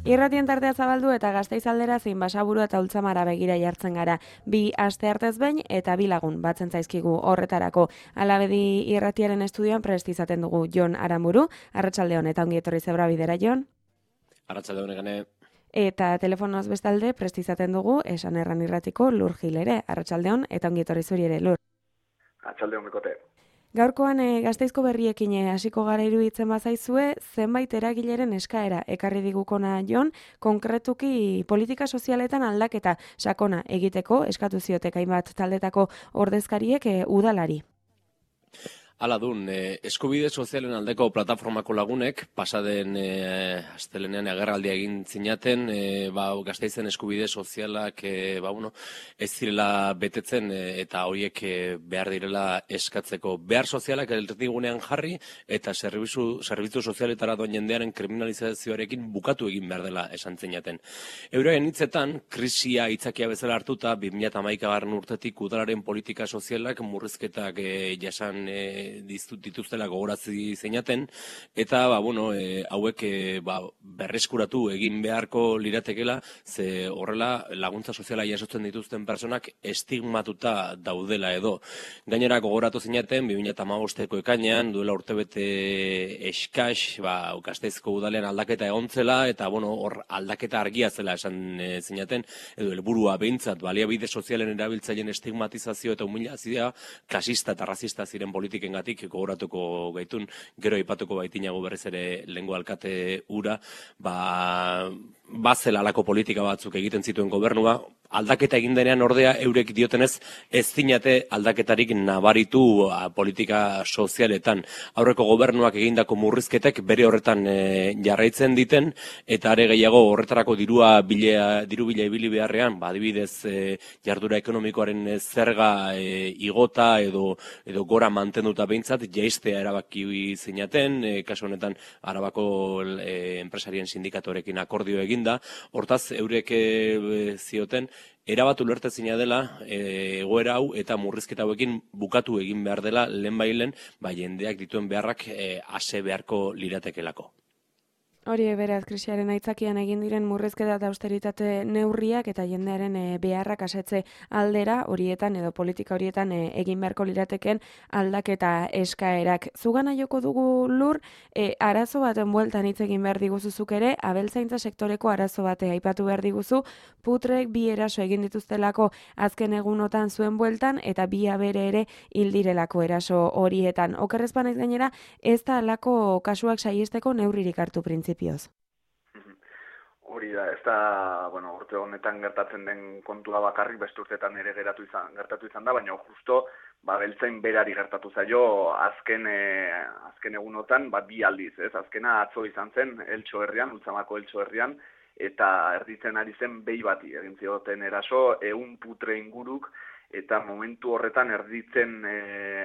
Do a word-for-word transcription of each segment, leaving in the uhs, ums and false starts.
Irratien tartea zabaldu eta Gasteiz aldera zein Basaburu eta Ultzamara begira jartzen gara. Bi aste artez behin eta bi lagun batzen zaizkigu horretarako. Alabedi irratiaren estudioan prest izaten dugu Jon Aramburu, arratsaldeon eta ongi etorri zebra bidera, Jon. Arratsaldeon egane. Eta telefonoz bestalde prest izaten dugu Esan Erran irratiko Lur Gil ere, arratsaldeon eta ongi etorri zuri ere, Lur. Arratsaldeon bekote. Gaurkoan e, Gasteizko berriekin hasiko gara iruditzen bazaizue, zenbait eragileren eskaera ekarri digukona Jon, konkretuki politika sozialetan aldaketa sakona egiteko eskatu ziotek hainbat taldetako ordezkariek e, udalari. Hala dun, eh, eskubide sozialen aldeko plataformako lagunek, pasaden eh, astelenean agerraldia egin zinaten, eh, ba, Gasteizen eskubide sozialak eh, ba, bueno, ez direla betetzen eh, eta horiek eh, behar direla eskatzeko. Behar sozialak erdigunean jarri eta zerbitzu, zerbitzu sozialetara doan jendearen kriminalizazioarekin bukatu egin behar dela esan zinaten. Euren hitzetan, krisia itzakia bezala hartuta, bi mila hamaikagarren urtetik udalaren politika sozialak murrizketak eh, jasan eh, dituztela gogorazi zeinaten, eta ba, bueno, e, hauek e, ba, berreskuratu egin beharko liratekela, ze horrela laguntza soziala jasotzen dituzten personak estigmatuta daudela edo. Gainera gogoratu zeinaten, bi mila hamabosteko ekainean, duela urtebete eskas, ba, Gasteizko udalean aldaketa egontzela, eta bueno, hor aldaketa argia zela esan e, zeinaten, edo helburua behintzat, baliabide sozialen erabiltzaileen estigmatizazio eta humilazioa, klasista eta rasista ziren politiken gogoratuko gaitun, gero aipatuko baitinago berriz ere lehengo alkate ura, ba, bazela alako politika batzuk egiten zituen gobernua, aldaketa egin denean ordea eurek diotenez ez zinate aldaketarik nabaritu a, politika sozialetan. Aurreko gobernuak egindako murrizketek bere horretan e, jarraitzen diten, eta are gehiago horretarako dirua bilea, diru bila ibili beharrean, ba, adibidez e, jardura ekonomikoaren e, zerga e, igota edo, edo gora mantenduta behintzat, jaistea erabaki zinaten, e, kasu honetan Arabako e, enpresarien sindikatorekin akordio eginda, hortaz eurek e, zioten, erabatu ulertezina dela e, egoera hau eta murrizketa hauekin bukatu egin behar dela lehenbailen, ba, jendeak dituen beharrak e, ase beharko liratekelako. Hori beraz, krisiaren aitzakian egin diren murrizketa eta austeritate neurriak eta jendearen e, beharrak asetze aldera horietan edo politika horietan e, egin beharko lirateken aldaketa eskaerak. Zugana joko dugu Lur, e, arazo baten bueltan hitz egin behar diguzuzuk ere, abeltzaintza sektoreko arazo bate aipatu behar diguzu, putrek bi eraso egin dituztelako azken egunotan zuen bueltan eta bi abere ere hildirelako eraso horietan. Okerrezpanez gainera, ez da alako kasuak saiesteko neurririk hartu printzipioz. Hori da, ez da, bueno, urte honetan gertatzen den kontua bakarrik, beste urteetan ere geratu izan, gertatu izan da, baina justo, ba, beltzain berari gertatu zaio, azken, e, azken egunotan, ba, bi aldiz, ez? Azkena atzo izan zen, Eltxo herrian, Ultzamako Eltxo herrian, eta erditzen ari zen behi bati, egin zioten eraso, ehun putre inguruk, eta momentu horretan erditzen e,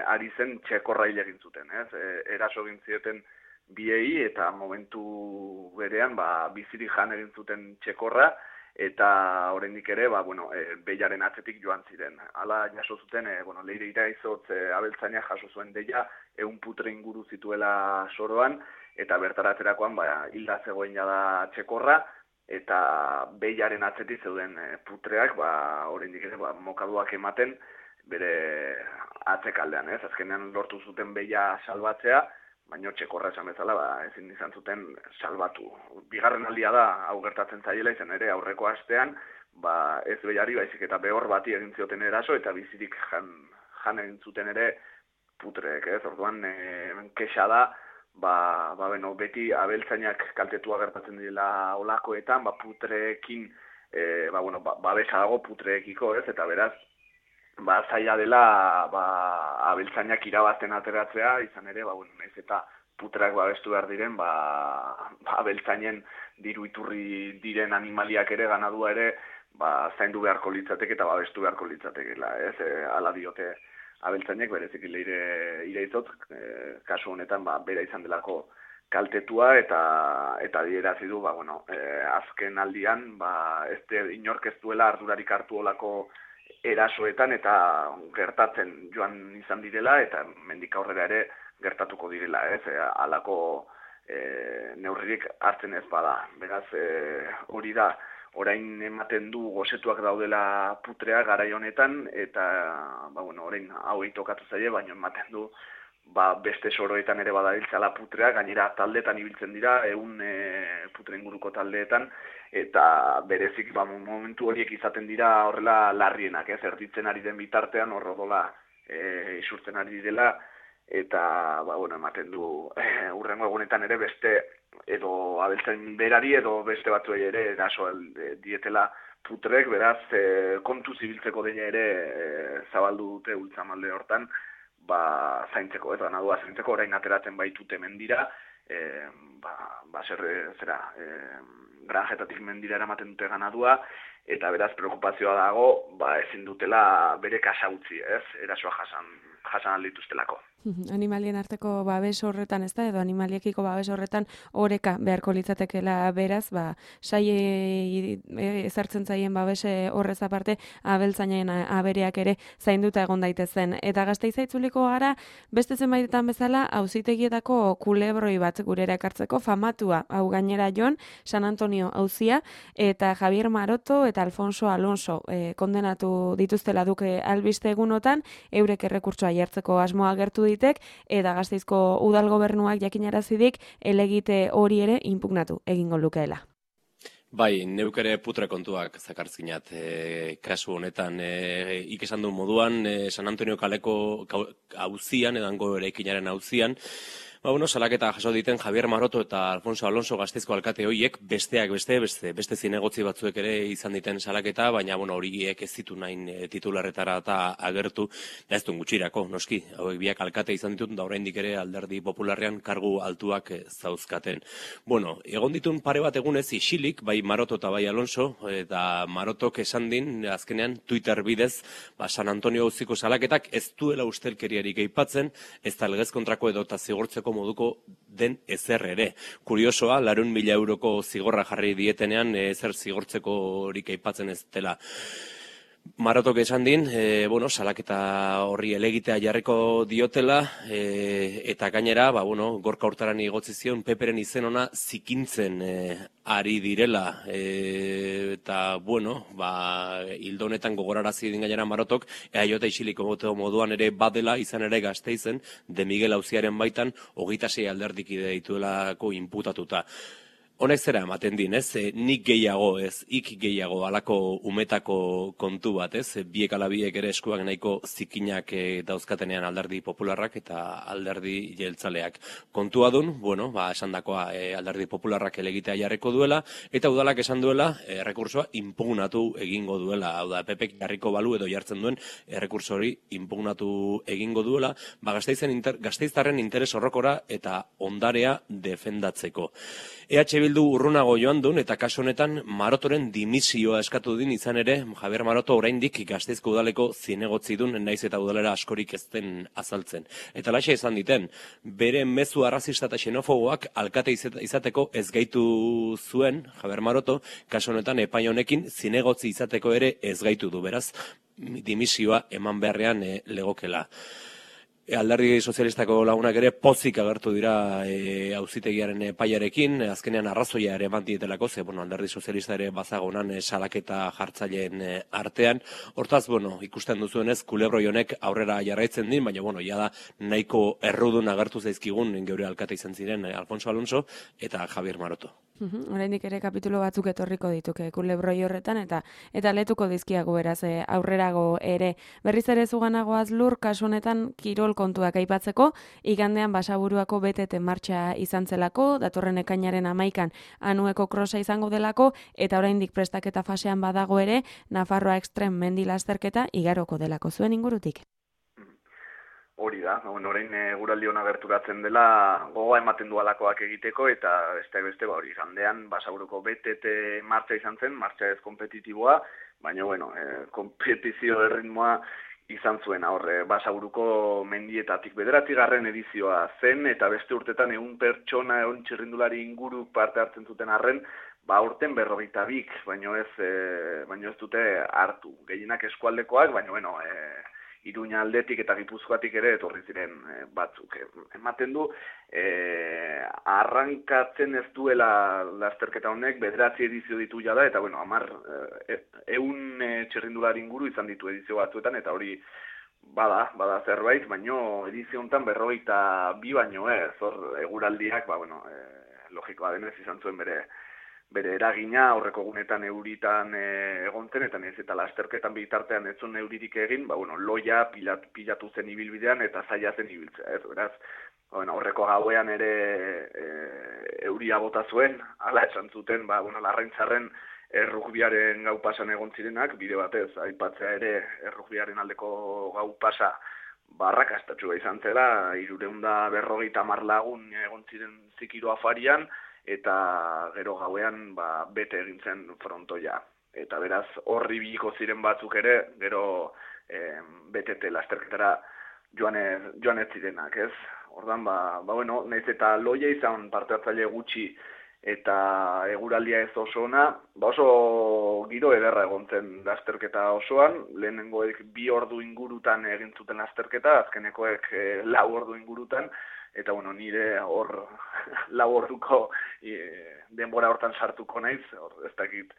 ari zen txekorra hil egin zuten, ez? E, eraso egin zioten biei eta momentu berean ba, bizirik jan egin zuten txekorra eta oraindik ere ba, bueno, e, behiaren atzetik joan ziren. Hala jaso zuten, e, bueno, Leire Iraizotz e, abeltzaina jaso zuen deia ehun putre inguru zituela soroan eta bertaratzerakoan ba, hilda zegoen da txekorra eta behiaren atzetik zeuden e, putreak ba, oraindik ere ba, mokaduak ematen bere atzekaldean, ez? Azkenean lortu zuten behia salbatzea, baina txekorra esan bezala, ba, ezin izan zuten salbatu. Bigarren aldia da, hau gertatzen zaiela izan ere, aurreko astean, ba, ez behiari baizik eta behor bati egin zioten eraso, eta bizirik jan, jan egin zuten ere putreek, ez? Orduan, e, kexa da, ba, ba, beno, beti abeltzainak kaltetua gertatzen dira olakoetan, ba, putreekin, e, ba, bueno, ba, babesa dago putreekiko, ez? Eta beraz, ba, zaila dela ba, abeltzainak irabazten ateratzea, izan ere, ba, bueno, naiz eta putrak babestu behar diren, ba, ba, abeltzainen diru iturri diren animaliak ere, ganadua ere, ba, zaindu beharko litzateke eta babestu beharko litzatekela, ez? E, ala diote abeltzainek, berezik Leire Iraizotz, e, kasu honetan, ba, bera izan delako kaltetua eta eta adierazi du, ba, bueno, e, azken aldian, ba, ez de inork ez duela ardurarik hartu olako erasoetan eta gertatzen joan izan direla eta mendik aurrera ere gertatuko direla, ez? Halako e, neurririk hartzen ez bada. Beraz, e, hori da, orain ematen du gozetuak daudela putrea garai honetan, eta ba, bueno, orain hau tokatu zaie, baina ematen du ba, beste soroetan ere badabiltzala putrea, gainera taldeetan ibiltzen dira, ehun e, putre inguruko taldeetan, eta berezik ba, momentu horiek izaten dira horrela larrienak, ez, erditzen ari den bitartean horro dola e, isurtzen ari dela, eta ba, bueno, ematen du e, urrengo egunetan ere beste edo abeltzen berari edo beste batzuei ere eraso dietela putrek, beraz e, kontu zibiltzeko deia ere e, zabaldu dute ultzamalde hortan, ba, zaintzeko, ez ganadua zaintzeko, orain ateratzen baitute mendira, e, ba, ba zer, zera, e, granjetatik mendira eramaten dute ganadua, eta beraz preokupazioa dago, ba, ezin dutela bere kasa utzi, ez, erasoa jasan, jasan aldituztelako. Animalien arteko babes horretan, ez da, edo animaliekiko babes horretan oreka beharko litzatekela beraz, ba, sai ezartzen zaien babes horrez aparte, abeltzainen abereak ere zainduta egon daitezen. Eta Gasteiza itzuliko gara, beste zenbaitetan bezala, auzitegietako kulebroi bat gurera ekartzeko famatua, hau gainera Jon, San Antonio auzia, eta Javier Maroto eta Alfonso Alonso eh, kondenatu dituztela duke albiste egunotan, eurek errekurtsoa jartzeko asmoa agertu ditek, eta Gasteizko udal gobernuak jakinarazidik elegite hori ere inpugnatu egingo lukeela. Bai, neuk ere putre kontuak zakartzinat e, kasu honetan. E, ik esan du moduan, e, San Antonio kaleko auzian, edango eraikinaren auzian, ba, bueno, salaketa jaso diten Javier Maroto eta Alfonso Alonso Gasteizko alkate horiek, besteak beste, beste, beste zinegotzi batzuek ere izan diten salaketa, baina bueno, horiek ez ditu nahin e, titularretara eta agertu, da ez duen gutxirako, noski, hauek biak alkate izan ditut, da oraindik ere alderdi popularrean kargu altuak e, zauzkaten. Bueno, egon ditun pare bat egunez isilik, bai Maroto eta bai Alonso, eta Marotok esan din, azkenean Twitter bidez, ba, San Antonio auziko salaketak ez duela ustelkeriarik aipatzen, ez da legez kontrako edo eta zigortzeko moduko den ezer ere. Kuriosoa, larun mila euroko zigorra jarri dietenean, ezer zigortzeko horik aipatzen ez dela. Marotok esan din, e, bueno, salaketa horri elegitea jarriko diotela, e, eta gainera, ba, bueno, Gorka Hurtaran igotzi zion Peperen izen ona zikintzen e, ari direla, e, eta, bueno, ba, hildo honetan gogorarazi din gainera Marotok, ea jota isiliko moduan ere badela, izan ere Gasteizen, de Miguel auziaren baitan, hogeita sei alderdikide dituelako inputatuta. Honek zera ematen din, ez? E, nik gehiago, ez? Ik gehiago alako umetako kontu bat, ez? E, biek alabiek ere eskuak nahiko zikinak e, dauzkatenean alderdi popularrak eta alderdi jeltzaleak. Kontua dun, bueno, ba, esan dakoa e, alderdi popularrak elegitea jarriko duela, eta udalak esan duela, e, errekursoa impugnatu egingo duela. Hau da, Pepek jarriko balu edo jartzen duen errekurso hori impugnatu egingo duela, ba, Gasteizen inter, Gasteiztarren interes horrokora eta ondarea defendatzeko. E H Bildu urrunago joan duen eta kasu honetan Marotoren dimisioa eskatu din izan ere, Javier Maroto oraindik Gasteizko udaleko zinegotzi dun, naiz eta udalera askorik ez den azaltzen. Eta laxa izan diten, bere mezu arrazista eta xenofoboak alkate izateko ez gaitu zuen, Javier Maroto, kasu honetan epai honekin zinegotzi izateko ere ez gaitu du, beraz, dimisioa eman beharrean e, legokela. Alderdi sozialistako lagunak ere pozik agertu dira e, auzitegiaren epaiarekin, azkenean arrazoia ere eman dietelako, ze bueno, alderdi sozialista ere bazagonan e, salaketa jartzaileen e, artean. Hortaz, bueno, ikusten duzuenez, kulebroi honek aurrera jarraitzen din, baina bueno, ja da nahiko errudun agertu zaizkigun geure alkate izan ziren e, Alfonso Alonso eta Javier Maroto. Uhum, oraindik ere kapitulo batzuk etorriko dituke kulebroi horretan eta eta letuko dizkiago beraz e, aurrerago ere. Berriz ere zuganagoaz Lur, kasu honetan kirol kontuak aipatzeko, igandean Basaburuako B T T martxa izan zelako, datorren ekainaren hamaikan Anueko krosa izango delako, eta oraindik prestaketa fasean badago ere, Nafarroa Extrem mendi lasterketa igaroko delako. Zuen ingurutik? Hori da, bueno, orain e, guraldi hona gerturatzen dela gogoa ematen du alakoak egiteko, eta beste beste ba hori gandean Basaburuko B T T martxa izan zen, martxa ez kompetitiboa, baina bueno, e, kompetizio erritmoa izan zuen horre Basaburuko mendietatik bederatzigarren edizioa zen, eta beste urtetan ehun pertsona, ehun txirrindulari inguru parte hartzen zuten arren, ba urten berrogeita bik, baino ez, e, baino ez dute hartu. Gehienak eskualdekoak, baina bueno, e, Iruña aldetik eta Gipuzkoatik ere etorri ziren e, batzuk. Ematen du, e, arrankatzen ez duela lasterketa honek, bederatzi edizio ditu jada, eta bueno, amar, e, eun e, txirrindulari inguru izan ditu edizio batzuetan, eta hori bada, bada zerbait, baino edizio honetan berrogeita bi baino ez, hor eguraldiak, ba, bueno, e, logikoa denez izan zuen bere bere eragina aurreko egunetan euritan e, egon zen, eta nez eta lasterketan bitartean ez zuen euririk egin, ba, bueno, loia pilat, pilatu zen ibilbidean eta zaila zen ibiltzea, ez, beraz, bueno, aurreko gauean ere e, euria bota zuen, hala esan zuten, ba, bueno, larraintzarren errugbiaren gau pasan egon zirenak, bide batez, aipatzea ere errugbiaren aldeko gau pasa barrakastatxua izan zela, hirureunda berrogeita hamar lagun egon ziren zikiro afarian, eta gero gauean ba, bete egin zen frontoia. Eta beraz, horri biliko ziren batzuk ere, gero eh, betete lasterketara joan ez, joan ez zirenak, ez? Ordan ba, ba bueno, naiz eta loia izan parte hartzaile gutxi eta eguraldia ez oso ona, ba oso giro ederra egon zen lasterketa osoan, lehenengoek bi ordu ingurutan egin zuten lasterketa, azkenekoek eh, lau ordu ingurutan, eta bueno, nire hor lau orduko e, denbora hortan sartuko naiz, hor ez dakit,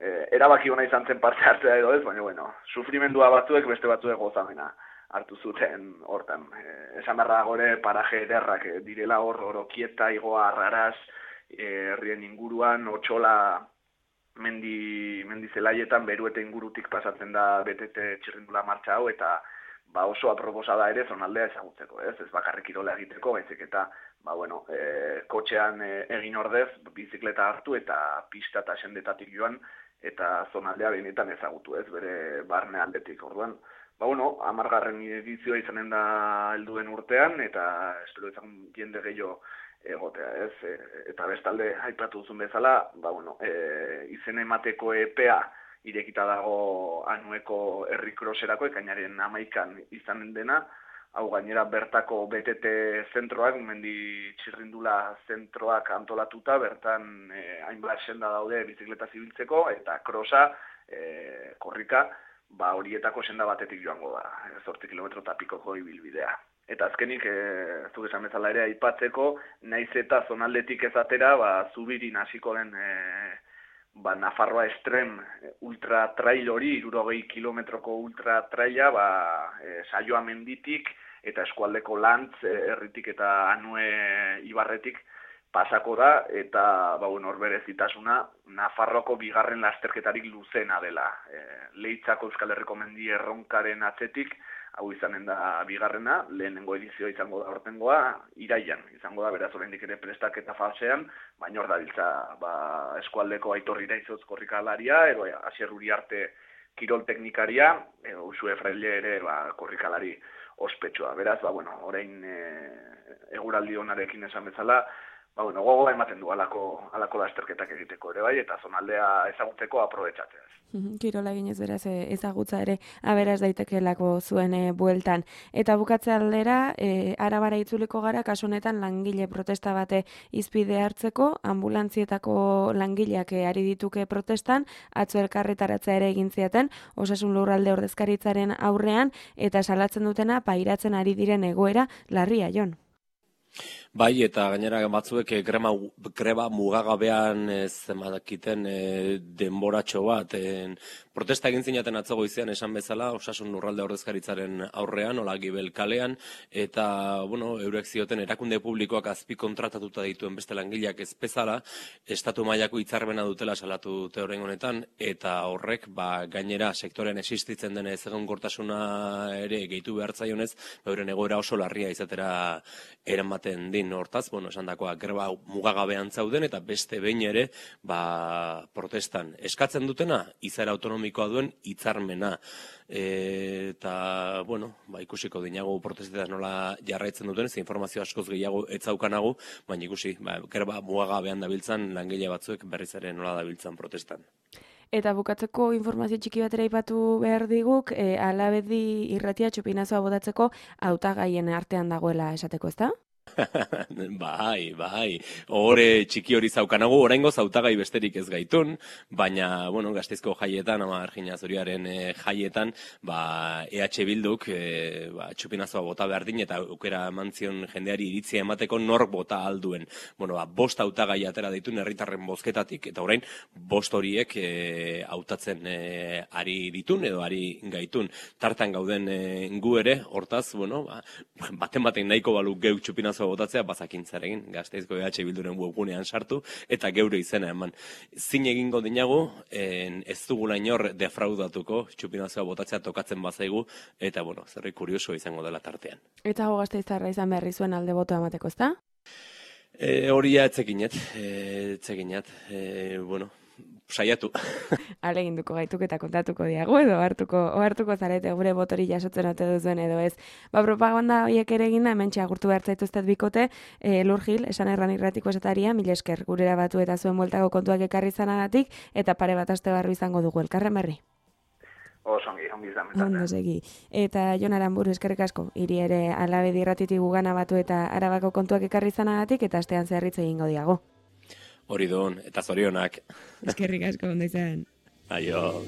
e, erabaki hona izan zen parte hartzea edo ez, baina bueno, sufrimendua batzuek beste batzuek gozamena hartu zuten hortan. E, esan berra gore paraje ederrak direla hor, Orokieta, Igoa, Arraraz, herrien inguruan, Otxola, mendi, mendi zelaietan, Beruete ingurutik pasatzen da betete txirrindula martxa hau, eta ba oso aproposa da ere zonaldea ezagutzeko, ez? Ez bakarrik kirola egiteko, baizik eta ba bueno, e, kotxean e, egin ordez, bizikleta hartu eta pista eta sendetatik joan eta zonaldea benetan ezagutu, ez? Bere barne aldetik. Orduan, ba bueno, hamargarren edizioa izanen da helduen urtean eta espero izan jende gehiago egotea, ez? E, eta bestalde aipatu duzun bezala, ba bueno, e, izen emateko epea irekita dago anueko herrikroserako, ekainaren hamaikan izanen dena, hau gainera bertako betete zentroak, mendi txirrindula zentroak antolatuta, bertan eh, hainbat senda daude bizikleta zibiltzeko, eta krosa, eh, korrika, ba horietako senda batetik joango da, zortzi kilometro eta pikoko ibilbidea. Eta azkenik, e, zuk esan bezala ere aipatzeko, naiz eta zonaldetik ezatera, ba, zubirin hasiko den e, ba, Nafarroa Estrem ultra trail hori, hirurogei kilometroko ultra traila, ba, e, Saioa menditik eta eskualdeko Lantz herritik eta Anue ibarretik pasako da, eta ba, bueno, hor berezitasuna Nafarroako bigarren lasterketarik luzena dela. E, Leitzako Euskal Herriko mendi erronkaren atzetik, hau izanen da bigarrena, lehenengo edizioa izango da hortengoa, iraian izango da, beraz oraindik ere prestaketa fasean, baina hor dabiltza ba, eskualdeko Aitor Iraizoz korrikalaria, edo Asier Uriarte kirol teknikaria, edo Usue Fraile ere ba, korrikalari ospetsua. Beraz, ba, bueno, orain e, eguraldi onarekin esan bezala, ba, bueno, gogoa ematen du alako, alako lasterketak egiteko ere bai, eta zonaldea ezagutzeko aprobetxatzea. Kirola eginez beraz ezagutza ere aberaz daitekelako zuen e, bueltan. Eta bukatze aldera, e, Arabara itzuliko gara, kasu honetan langile protesta bate izpide hartzeko, ambulantzietako langileak ari dituke protestan, atzo elkarretaratzea ere egin zieten, Osasun Lurralde ordezkaritzaren aurrean, eta salatzen dutena pairatzen ari diren egoera larria, Jon. Bai, eta gainera batzuek greba, greba mugagabean zemadakiten e, denboratxo bat. E, protesta egin zinaten atzo goizean esan bezala, Osasun Lurralde ordezkaritzaren aurrean, Ola Gibel kalean, eta, bueno, eurek zioten erakunde publikoak azpi kontratatuta dituen beste langileak ez bezala, estatu mailako hitzarmena dutela salatu dute orain honetan, eta horrek, ba, gainera sektorean existitzen den ezegonkortasuna ere gehitu behar zaionez, euren egoera oso larria izatera eramaten din. Hortaz, bueno, esan dakoa, greba mugagabean zauden eta beste behin ere ba, protestan eskatzen dutena, izaera autonomikoa duen hitzarmena. E, eta, bueno, ba, ikusiko dinago protestetan nola jarraitzen duten, ze informazio askoz gehiago etzaukanagu, baina ikusi, ba, greba mugagabean dabiltzan langile batzuek berriz ere nola dabiltzan protestan. Eta bukatzeko informazio txiki batera ipatu behar diguk, e, Alabedi irratia txupinazoa botatzeko hautagaien artean dagoela esateko, ezta? Bai, bai. Hore txiki hori zaukanago, oraingo zautagai besterik ez gaitun, baina, bueno, Gasteizko jaietan, ama Argina Zuriaren e, jaietan, ba, E H Bilduk, e, ba, txupinazoa bota behar din, eta aukera mantzion jendeari iritzia emateko nork bota alduen. Bueno, ba, bost hautagai atera ditun herritarren bozketatik, eta orain, bost horiek e, hautatzen e, ari ditun, edo ari gaitun. Tartan gauden e, gu ere, hortaz, bueno, ba, baten baten nahiko balu geuk txupinazoa botatzea, bazakintzarekin, Gasteizko E H Bilduren webgunean sartu, eta geure izena eman. Zin egingo dinagu, en, ez dugula inor defraudatuko, txupinazoa botatzea tokatzen bazaigu, eta, bueno, zerri kurioso izango dela tartean. Eta hau Gasteiztarra izan beharri zuen alde botoa emateko, ezta? E, horia etzekinet, e, etzekinet, e, bueno, saiatu. Aleginduko gaituk eta kontatuko diagu edo hartuko ohartuko zarete gure botori jasotzen ote duzuen edo ez. Ba, propaganda horiek ere egin da, hementxe agurtu behar zaituztet bikote, e, Lur Gil, esan erran irratiko esataria, mil esker gurera batu eta zuen bueltako kontuak ekarri zanagatik, eta pare bat aste barru izango dugu elkarren berri. Osongi, ongi izan. Ondo segi. Eta Jon Aramburu eskerrik asko, hiri ere Alabedi irratitik gugana batu eta Arabako kontuak ekarri zanagatik, eta astean zerritze egingo diago. Hori don, eta zorionak. Eskerrik asko, ondo izan. Aio.